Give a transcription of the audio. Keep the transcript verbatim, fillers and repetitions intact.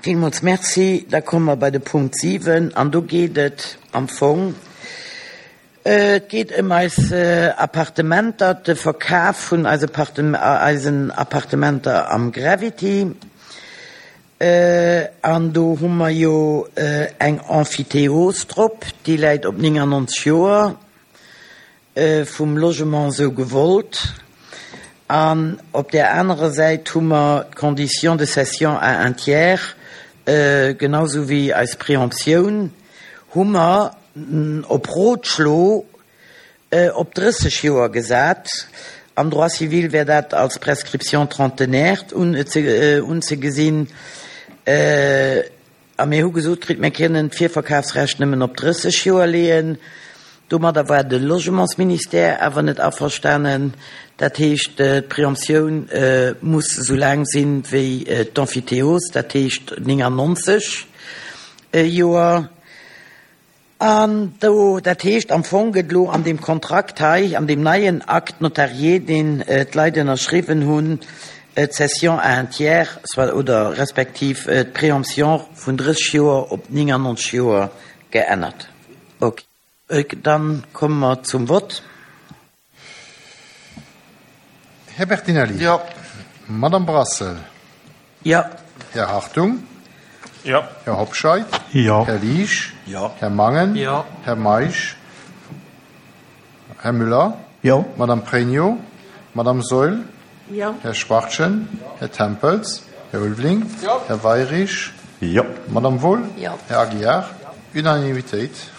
Villmools Merci. Da komme mer bei de Punkt siwen an do geet et am Fong, et geet ëm eis Appartementer, de Verkaf vun eise eisen Appartementer am Gravity. An do hu mer jo eng Emphytéose drop, déi läit op neunundneunzeg Joer, vum Logement esou gewollt. An op där anerer Säit hu mer d'Condition de cession à un tiers, genauso wéi eis Préemptioun, hu mer op Rotschlo op drësseg Joer gesat. Am Droit civil wär dat als Prescription trentenaire unzegesinn. A mir hu gesot kritt, mir kënnen d'Virverkafsrecht nëmmen op drësseg Joer leeën. Domadder war de Logementsministère awer net averstanen. Dat heescht, d'Préemptioun muss esou laang sinn wéi d'Emphytéose, dat heescht neunundneunzeg Joer. An do, dat heescht, am Fong gëtt elo an deem Kontrakt hei, an deem neien Acte notarié, deen d'Leit ënnerschriwwen hunn, d'Cession à un tiers, soit oder respektiv d'Préemption vun drësseg Joer op neunundneunzeg Joer geännert. Ok. Dann komme mer zum Vott. Här Bertinelli. Jo. Madame Brassel. Jo. Här Hartung. Jo. Här Hobscheit. Jo. Här Liesch. Jo. Här Mangen. Jo. Här Meisch. Här Müller. Jo. Madame Pregno. Madame Saeul. Jo. Här Schwachtgen. Här Tempels. Här Ulveling. Jo. Här Weyrich. Jo. Madame Wohl. Jo. Här Aguiar. Unanimitéit.